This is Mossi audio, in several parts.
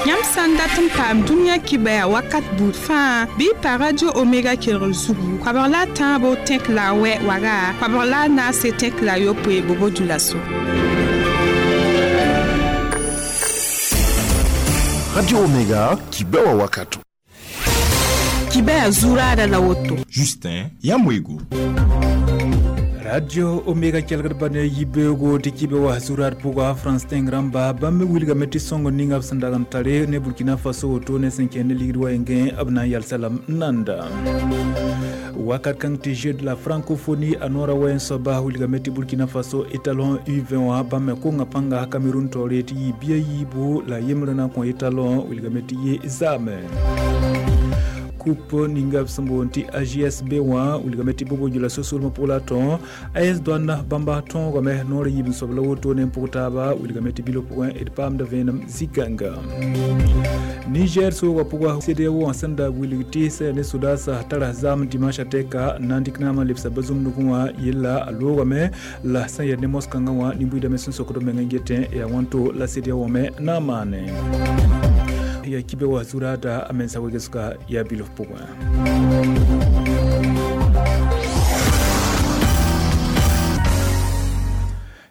Yãmb sã n dat n paam dũniyã kibaya wakat buud fãa bɩ y pa Radio Omega kelgr zugu koabg la a tãabo tẽk la a wɛ waga koabg la a naase tẽk la a yopoe Bobo-Dioulasso. Radio Omega, kibewa wakato. Kibaya zuraada la woto. Justin Yamwego. Radio Omega kelgd ba ne yibeoogo tɩ kibe wa zurad pʋga France tẽng rãmba bãmb me wilgame tɩ sõngr ninga b sẽn dag n tare ne Burkina Faso woto ne sẽn kẽnd ne ligd wa yengẽ b na n yalsa lame n nanda. Wakat kãng tɩ Jeu de la francophonie a noorã wa n soaba wilgame tɩ Burkina Faso étalon U20 wã bãmb me konga pãnga Cameroun taoore tɩ yɩ bia yiibu la yembrã na n kõ étalon wilgame tɩ yɩ zaame. Coupe ninga b sẽn boond tɩ AJSB wã wilgame tɩ Bobo-Dioulasso solmã pʋg la tõ AS Douane bãmba tõogame noor yiib n soab la woto ne n pʋg taaba wilgame tɩ bilo pʋgẽ d paamda vẽenem zikãnga. Niger soogã pʋga CEDEAO wã sẽn da wilg tɩ sã ne sodaasã tara zaam dimanche tɛka n na n dɩk naamã lebsa bazumdgẽ wã yella a loogame la sẽn yaa ne mos-kãngã wã nin-buiidame sẽn sokd b meng n getẽ yaa wãnto la CEDEAO me na n maane. Ya kibe wa zurada a mensa wegesga ya bilof pʋgẽ.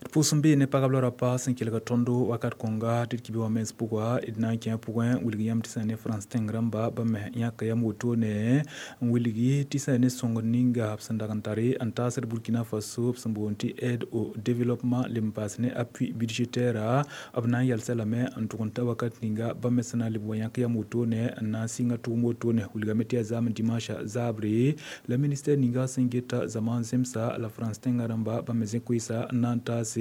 Pʋʋs n bee ne pagb la rapa sẽn kelga tõndo wakat kõnga tɩ d kibe wã mens pʋga d na n kẽ pʋgẽ wilg yãmb tɩ sã ne France tẽng rãmba bãmb me yãka yam wotone n wilgi tɩ sã ne sõngr ninga b sẽn dag n tare n taasd Burkina Faso b sẽn boond tɩ aide au développement leb n paas ne appui budgétaire b na n yalsa lame n tʋg n ta wakat ninga bãmb me sẽn na n leb wa yãk yam wotone n na n sɩnga tʋʋm wotone wilgame tɩ yaa zaam dimanche zaabre la ministère ninga sẽn geta zaman zemsa la France tẽngã rãmba bãmb me zẽ koeesa n na n taase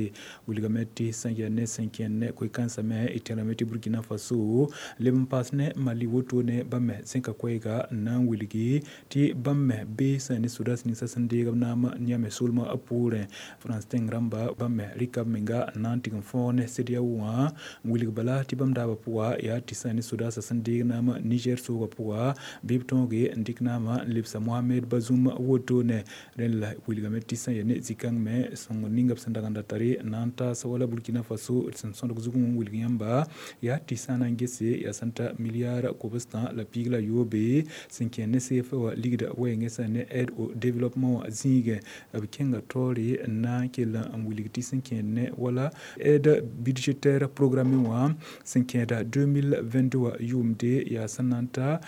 wilgame tɩ sẽn yaa ne sẽn kẽnd ne koe-kãensã me y tẽrame tɩ Burkina Faso leb n paas ne Mali wotone bãmb me zẽka koɛɛga n na n wilgi tɩ bãmb me bee sã ne sodaas ninsã sẽn deeg b naam yãme solmã poorẽ France tẽng rãmba bãmb me rɩka b menga n na n tɩg n fõog ne CEDEAO wã n wilg bala tɩ bãmb daabã pʋga yaa tɩ sã ne sodaasã sẽn deeg naam Niger soogã pʋga bɩ b tõoge n dɩk naamã n lebsa Mohamed Bazoum wotone rẽnd la wilgame tɩ sã yaa ne zĩ-kãng me sõngr ninga b sẽn dag n da tare n na n taas wala Burkina Faso sẽn sõdg zugẽ n wilg yãmba yaa tɩ sã na n gese yaa sẽn ta milliard kobstã la piig la yoobe sẽn kẽ ne CFA wã ligda wɛɛngẽ sã ne aide au développement wã zĩigẽ b kẽnga taoore n na n kell n wilg tɩ sẽn kẽed ne wala aide budgétaire programmé wã sẽn kẽeda 2022 wã yʋʋmde yaa sẽn na n ta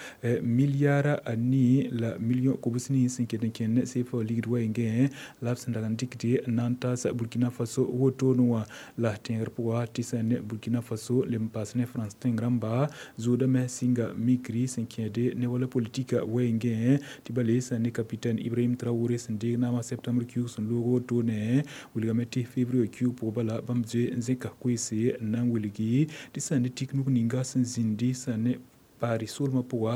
milliard a nii la million kobs nii sẽn ket n kẽnd ne CFA wã ligd wɛɛngẽ la b sẽn dag n dɩkde n na n taas Burkina Faso wotone wã la tẽegr pʋga tɩ sã ne Burkina Faso leb n paas ne France tẽng rãmba zoodame sɩnga mikri sẽn kẽede ne wala politika wɛɛngẽ tɩ bale sã ne capitaine Ibrahim Traoré sẽn deeg naamã septembre kiuug sẽn loog wotone wilgame tɩ février kiuug pʋgẽ bala bãmb zoe n zẽka koeese n na n wilgi tɩ sã ne tiknug ninga sẽn zĩndi sã ne Paris solmã pʋga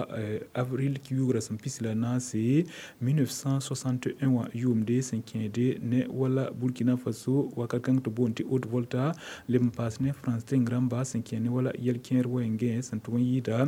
avril kiuugrã sẽn pis la naase 1961 wã yʋʋmde sẽn kẽede ne wala Burkina Faso wakat kãng tɩ boond tɩ Haute Volta leb n paas ne France tẽng rãmba sẽn kẽ ne wala yɛl-kẽer wɛɛngẽ sẽn tʋg n yɩɩda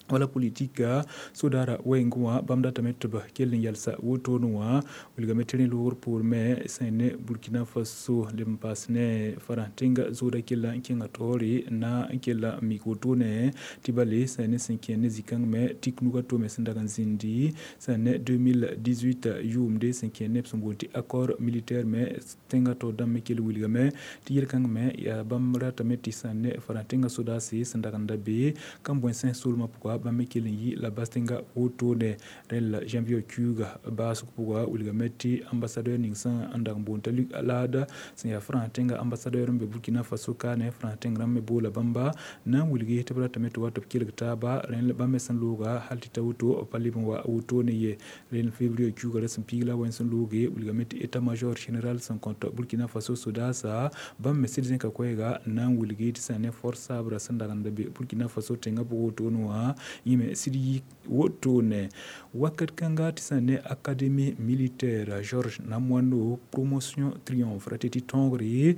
wala politika sodara wɛɛngẽ wã bãmb datame tɩ b kell n yalsa wotone wã wilgame tɩ rẽ loogr poor me sẽn ne Burkina Faso leb n paas ne farã tẽnga zooda kella n kẽnga taoore n na n kella n mik wotone tɩ bale sã ne sẽn kẽ ne zĩ-kãng me tik nuga tome sẽn dag n zĩndi sã ne 2018 yʋʋmde sẽn kẽ ne b sẽn boond tɩ accord militaire me tẽngã taoor dãmb me kell wilgame tɩ yel-kãng me yaa bãmb ratame tɩ sã ne farã tẽngã sodaase sẽn dag n da be kambõensẽ solmã pʋga bãmb me kell n yɩ la bas tẽnga wotone rẽnd la janvier kiuuga baasg pʋga wilgame tɩ ambassadeur ning sã n dag n boond t'a Luc Alade sẽn yaa France tẽnga ambassadeur n be Burkina Faso kaane France tẽng rãmb me boola bãmba na n wilgi tɩ b ratame tɩ wa tɩ b kelg taaba rẽnd bãmb me sẽn looga hal tɩ ta woto pa leb n wa wotone ye rẽnd février kiuuga ra sẽn piig la wẽn sẽn looge wilgame tɩ état major général sẽn kõt Burkina Faso sodaasa bãmb me sɩd zẽka koɛɛga n na n wilgi tɩ sã ne force sabra sẽn dag n da be Burkina Faso tẽngã pʋgẽ wotone wã yĩme sɩd yi wotone wakat kãnga tɩ sã ne académie militaire Georges Namoano promotion triomphe ra tɩ tɩ tõogre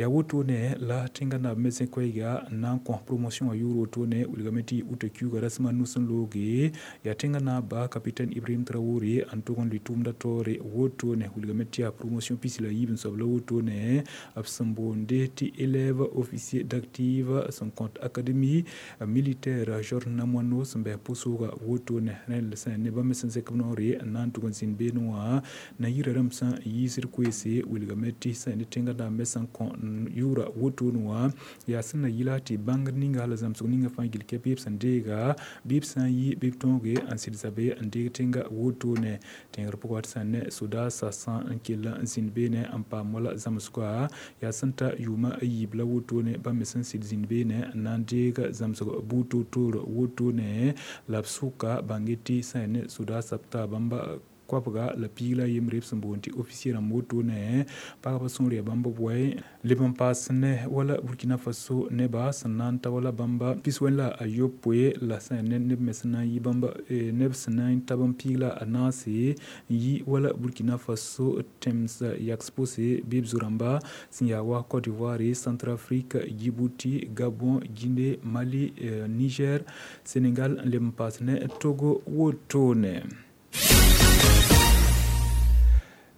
Yaa wotone la tẽngã naab me sẽn koɛɛga n na n kõ promotion wã yʋʋr wotone wilgame tɩ uta kiuugã rasem a nu sẽn looge yaa tẽngã naaba capitaine Ibrahim Traoré n tʋg n lʋɩ tʋʋmdã taoore wotone wilgame tɩ yaa promotion pis la yiib n soab la wotone b sẽn boonde tɩ élève officier d'active sẽn kõt académie militaire Georges Namoano sẽn bɩ pʋsʋʋga wotone rẽnd sẽn ne bãmb me sẽn zẽk b noore n na n tʋg n zĩnd beene wã na yirã rãmb sẽn yiisd koeese wilgame tɩ sẽn ne tẽngã naab me sẽn kõ yʋʋra wotone wã yaa sẽn na yɩla tɩ bãngd ninga la zãmsg ninga fãa gill kɛ bɩ b sẽn deega bɩ b sã n yi bɩ b tõoge n sɩd zabe n deeg tẽnga wotone tẽegr pʋgã tɩ sẽn ne sodaasã sã n kell n zĩnd beene n paam wala zãmsga yaa sẽn ta yʋʋma a yiib la wotone bãmb me sẽn sɩd zĩnd beene n na n deeg zãmsg buud toor-toor wotone la b sʋka bãnge tɩ sã ne sodaasã b taa bãmba koabga la piig la yembre b sẽn boond tɩ officier rãmb wotone pagba sõor yaa bãmb b wɛ leb n paas ne wala Burkina Faso neba sẽn na n ta wala bãmba pis-wẽn la a yopoe la sã ne neb me sẽn na n yi bãmba neb sẽn na n ta bãmb piig la a naase n yi wala Burkina Faso tẽms yaks pʋse bɩ b zo-rãmba sẽn yaa wa Côte d'Ivoire, Centrafrique, Djibouti, Gabon, Guinée, Mali, Niger, Sénégal n leb n paas ne Togo wotone.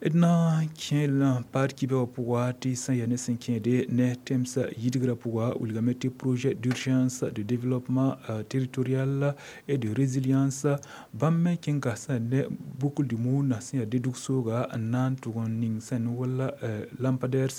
D na n kẽel paad kibã wã pʋga tɩ sẽn yaa ne sẽn kẽede ne tẽmsã yidgrã pʋga wilgame tɩ projet d'urgence de développement territorial et de résilience bãmb me kẽnga sẽn ne boucle du monde sẽn yaa dedug sooga n na n tʋg n ning sẽn wala lampadaire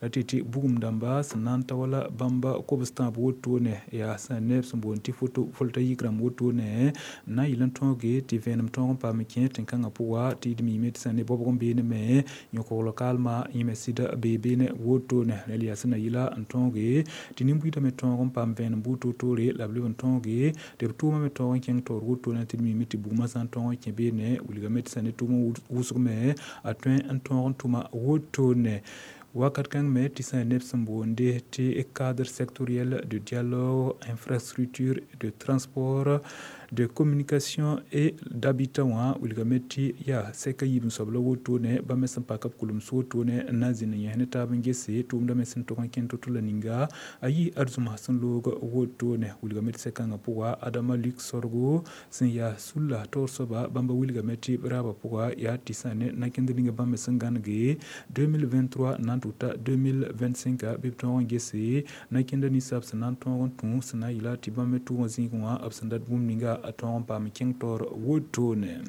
la tɩ tɩ bugum dãmba sẽn na n ta wala bãmba kobs tãab wotone yaa sẽn ne b sẽn boond tɩ photovoltaïque rãmb wotone n na n yɩl n tõoge tɩ vẽenem tõog n paam n kẽ tẽn-kãngã pʋga tɩ d miime tɩ sẽn ne bɔbg n beene me yõkogl kalma yẽ me sɩd bee beene wotone rẽl yaa sẽn na yɩla n tõoge tɩ nin-buiidã me tõog n paam vẽenem buud toor-toore la b leb n tõoge tɩ b tʋʋmã me tõog n kẽng taoor wotone tɩ d miime tɩ bugmã sã n tõog n kẽ beene wilgame tɩ sẽn ne tʋʋmã wʋsg me a tõe n tõog n tʋma wotone. Wakat kãng me tɩ sã neb sẽn boonde tɩ cadre sectoriel de dialogue, infrastructure de transport, de communication et d'habitat wã wilgame tɩ yaa sɛka yiib n soab la wotone bãmb me sẽn pak b kulems wotone n na n zĩnd n yẽs ne taab n gese tʋʋmdã me sẽn tog n kẽnd to-to la ninga a yɩ adzũms sẽn loog wotone wilgame tɩ sɛkãngã pʋga Adama Luc Sorgo sẽn yaa sulla taoor soaba bãmba wilgame tɩ b raabã pʋga yaa tɩ sã ne nakẽnd ninga bãmb me sẽn gãnege 2023 n na n tʋg ta 2025 bɩ b tõog n gese nakẽnda ninsab sẽn na n tõog n tũ sẽn na n yɩla tɩ bãmb me tʋʋg n zĩig wã b sẽn dat bũmb ninga a tõog n paam kẽng taoor wotone.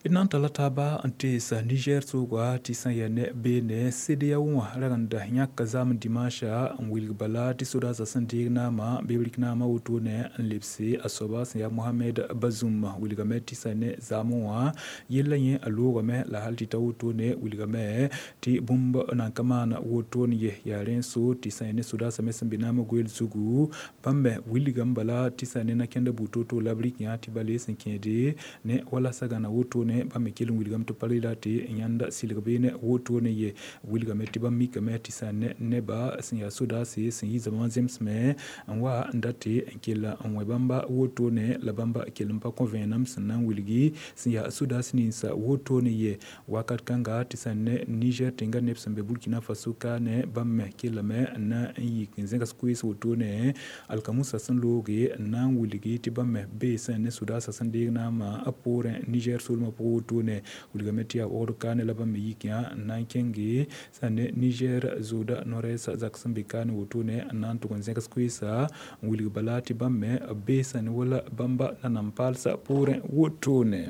D na n tala taaba n teesa Niger sooga tɩ sã n yaa ne beene CEDEAO wã ragenda yãka zaam dimanche n wilg bala tɩ sodaasã sẽn deeg naamã bɩ b rɩk naamã wotone n lebse a soaba sẽn yaa Mohamed Bazoum wilgame tɩ sã ne zaamẽ wã yella yẽ a loogame la hal tɩ ta wotone wilgame tɩ bũmb nan ka maan wotone ye yaa rẽ so tɩ sã n ne sodaasã me sẽn be naamã goeel zugu bãmb me wilgame bala tɩ sã ne nakẽndã buud to-to la b rɩk yã tɩ bale sẽn kẽede ne wala sagana wotone bãmb me kell n wilgame tɩ pa rela tɩ yãnd sɩlg beene wotone ye wilgame tɩ bãmb mikame tɩ sã ne neba sẽn yaa sodaase sẽn yi zaba wã zemsme n wa n date n kell n wẽ bãmba wotone la bãmba kell n pa kõ vẽenem sẽn na n wilgi sẽn yaa sodaas ninsa wotone ye wakat kãnga tɩ sã ne Niger tẽngã neb sẽn be Burkina Faso ka ne bãmb me kellame n na n yik n zẽgs koees wotone alkamusa sẽn looge n na n wilgi tɩ bãmb me bee sã ne sodaasã sẽn deeg naamã a poorẽ Niger soolmã pʋgẽ wotone wilgame tɩ yaa waood kaane la bãmb me yik yã n na n kẽnge sã ne Niger zooda no-rɛɛsã zak sẽn be kaane wotone n na n tʋg n zẽgs koeesa n wilg bala tɩ bãmb me b bee sã ne wala bãmba nanam-paalsã poorẽ wotone.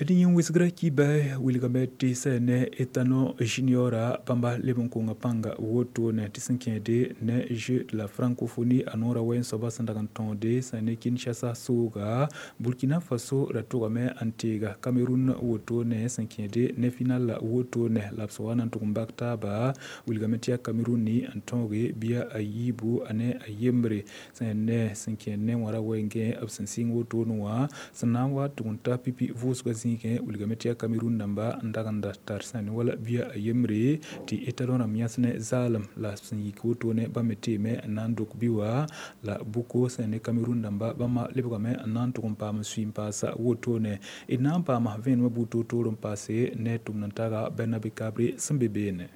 D yẽ wɩsgrã kiba wilgame tɩ sã ne Etano Juniora bãmba leb n konga pãnga wotone tɩ sẽn kẽede ne Jeux de la francophonie a noorã wɛɛn soaba sẽn dag n tõode sã ne Kinshasa sooga Burkina Faso ra tʋgame n teega Cameroun wotone sẽn kẽede ne final wotone la b sẽn wa na n tʋg n bak taaba wilgame tɩ yaa Cameroun n tõoge bɩa a yiibu a ne a yembre sã ne sẽn kẽed ne wã ra wɛɛngẽ b sẽn sɩng wotone wã sẽn na n wa tʋg n ta pipi vʋʋsgã zĩig zĩigẽ wilgame tɩ yaa Cameroun dãmba n dag n da tar sã ne wala bia a yembre tɩ étalon rãmb yãs ne zaalem la sẽn yik wotone bãmb me teeme n na n dok bi wã la buko sẽn ne Cameroun dãmba bãmba lebgame n na n tʋg n paam n sui n paasa wotone d na n paama vẽenemã buud toor-toor n paase ne tʋmd n taga Bernabe Kabre sẽn be beene.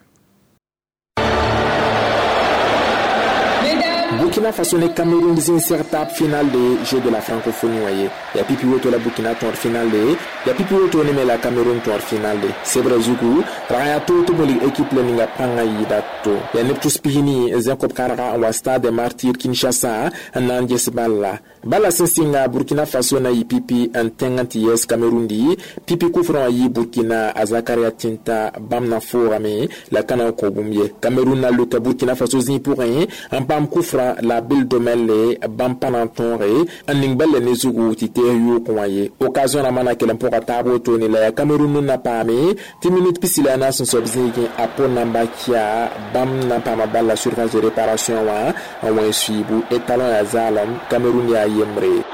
Burkina Faso ne Cameroun zin étape finale de Jeux de la francophonie waye. Ya pipi woto la Burkina tour finale de, ya pipi woto ne la Cameroun tour finale de. Sebra zugu, raya to to boli équipe le ninga panga yida to. Ya neptus pihini zenkop karaga wa stade des Martyrs Kinshasa nan jesballa. Bala sensinga Burkina Faso na yipipi en tenganti yes Cameroun di, pipi kufran yi Burkina Azakaria Tinta bamna forame la kana kobumye. Cameroun na luka Burkina Faso zin pour rien, en pam kufra la bil domele bampanantore aning balle ne zugu tite yu kwaye occasion na mana kelen pour tabo to ni la Cameroun na pame 10 minutes pisila na son sobzingi apo namba kia bam na pama balla surface de réparation wa en suibu étalon ya zalam Cameroun ya yemre.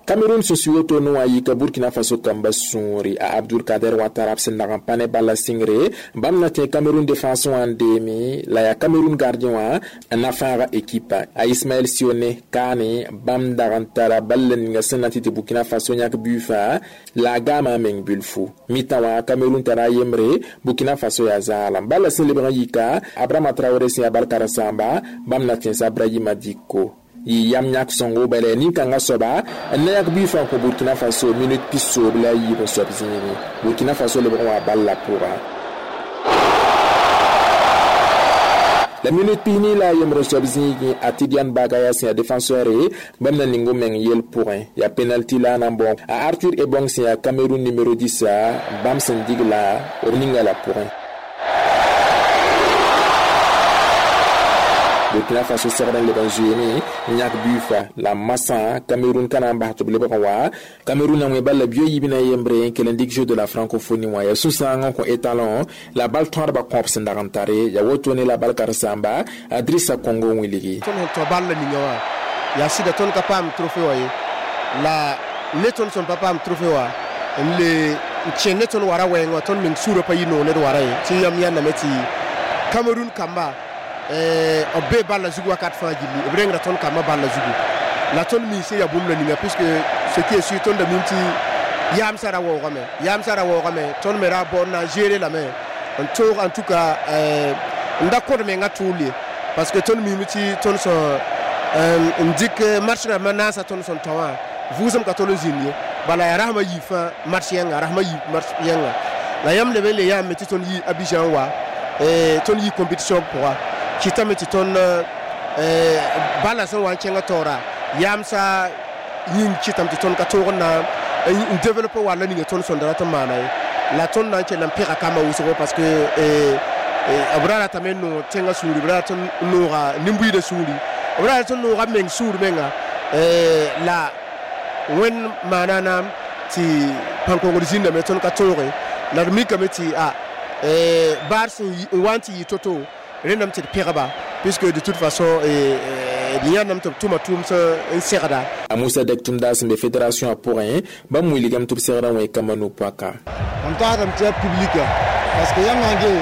Cameroun se suyoto no ayika Burkina Faso kamba sũure a Abdul Kader Ouattara sẽn dag n pa ne bala sɩngre bãmb na tẽ Cameroun défense wã n deeme la yaa Cameroun gardien wã n na fãaga équipe a Ismaël Sione kaane bãmb dag n tara bal ninga sẽn na tɩ tɩ Burkina Faso yãk buifa la a gaama a meng bilfu mitã wã Cameroun tara a yembre Burkina Faso yaa zaalem bala sẽn lebg n yika Abrahama Traoré sẽn yaa bal karen-sãamba bãmb na tẽnsa Brahima Dicko yi yam yãk sõngo bala nin-kãngã soaba n na yãk buifã kõ Burkina Faso minute pisoob la a yiib n soab zĩigẽ Burkina Faso lebg n wa bal la pʋga la minute pisni la a yembr n soab zĩigẽ a Tidiane Bagaya sẽn yaa défenseur ye bãmb na ning meng yel pʋgẽ yaa penalty la a na n bõ a Arthur Ebong sẽn yaa Cameroun numéro 10 bãmb sẽn dig la b ninga la pʋgẽ. Burkina Faso segd n leb n zoeene n yãk buifa la masã Cameroun ka na n bas tɩ b lebg n wa Cameroun na wẽ bal la bio yiib na yembre n kell n dɩk Jeux de la francophonie wã yaa sũ-sãang n kõ étalon la bal tõadbã kõab sẽn dag n tare yaa wotone la bal karen-sãamba Drissa Congo wilgi. Tõnd sẽn tõ bal la ninga wã yaa sɩda tõnd ka paam trophée wã ye la ne tõnd sẽn pa paam trophée wã n le n kẽ ne tõnd wara wɛɛng wã tõnd meng sũurã pa yɩ noog ned wara ye tɩ yam yãndame tɩ Cameroun kamba b bee balla zugu wakat fãa gilli b rengra tõnd kambã balla zugu la tõnd mi sẽn yaa bũmb la ninga puisque ce qui est sûr tõnd da mim tɩ yaamsã ra waoogame tõnd me ra bao n na n gérer lame n toog en tout cas n da kõd mengã tʋʋl ye parce que tõnd mime tɩ tõnd sẽn n dɩk match rãmbã naasã tõnd sẽn tão wã vʋʋsem ka tol n zĩnd ye bala yaa rasmã yiib fãa match yẽnga rasmã yiib match yẽnga la yãmb leb n le yaame tɩ tõnd yi Abidjan wa tõnd yi compétition pʋga kɩtame tɩ tõnd bala sẽn wa n kẽngã taoora yaamsa yĩng kɩtame tɩ tõnd ka toog n na n développe walla ninga tõnd sõnda rat n maana ye la tõnd na n kell n pẽga kambã wʋsgo parce que b ra ratame n noog tẽngã sũuri b ra rat n nooga nin-buiidã sũuri b ra rat n nooga meng sũur menga la wẽnd maana naam tɩ pãn-kongd zĩndame tõnd ka tooge la d mikame tɩ a baar sẽn wa n tɩ yɩ to-to rẽndame tɩ d pẽgba puisque de toute façon d yãndame tɩ b tʋma tʋʋm n segda. A Moussa Dek tʋmda sẽn be fédération a pʋgẽ bãmb wilgame tɩ b segrã wẽ kambã no-poaka. Mam tagsdame tɩ yaa public parce que yãmb na n gee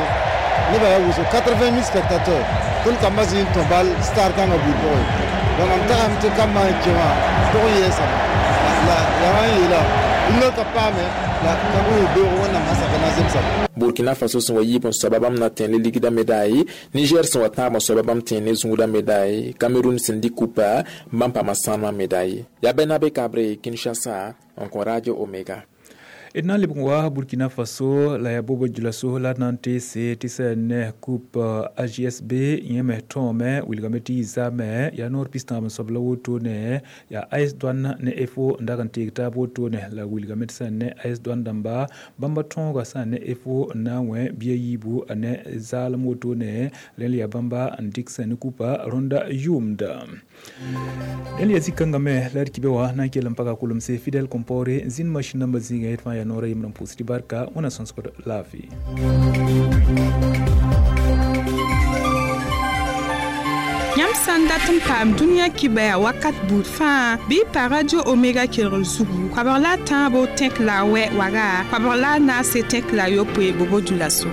nebã yaa wʋsgo 80 000 spectateurs tõnd kambã zĩ n tõ bal star kãngã buud pʋgẽ donc mam tagsame tɩ kambã n kẽ wã tog n yɛɛsame la yaa wã n yeela rũndã ka paame la kãng beoog wẽnnaam sã sak na zemsame. Burkina Faso sẽn wa yiib n soaba bãmb na tẽ ne ligdã médaille Niger sẽn wa tãab n soaba bãmb tẽ ne zũudã médaille Cameroun sẽn dɩk kupa bãmb paama sãnema médaille yaa Bernabe Kabre Kinshasa n kõ Radio Omega. D na n lebg n wa Burkina Faso la yaa bobo djulaso la d na n teese tɩ sẽn ne coupe AJSB yẽ me tõome wilgame tɩ yɩ zaame yaa noor pis-tãab n soab la wotone yaa AS Douane ne EFO n dag n teeg taab wotone la wilgame tɩ sẽn ne AS Douane dãmba bãmba tõoga sã ne EFO n na n wẽ bia yiibu a ne zaalem wotone rẽnd yaa bãmba n dɩk sẽn ne kupa rõnda yʋʋmda. Rẽnd yaa zĩ-kãngã me la d kɩbe wã na n kell n paga kulemse Fidèle Compaoré n zĩnd machine nambã zĩigã yet fãa yaa noora yembr n pʋʋs tɩ barka wẽna sõsgd laafɩ. Yãmb Yãmb sã n dat n paam dũniyã kibaya wakat buud fãa, bɩ y pa Radio Omega kelgr zugu, koabg la a tãabo tẽk la a wɛ waga, koabg la a naase tẽk la a yopoe bobo-dioulasso.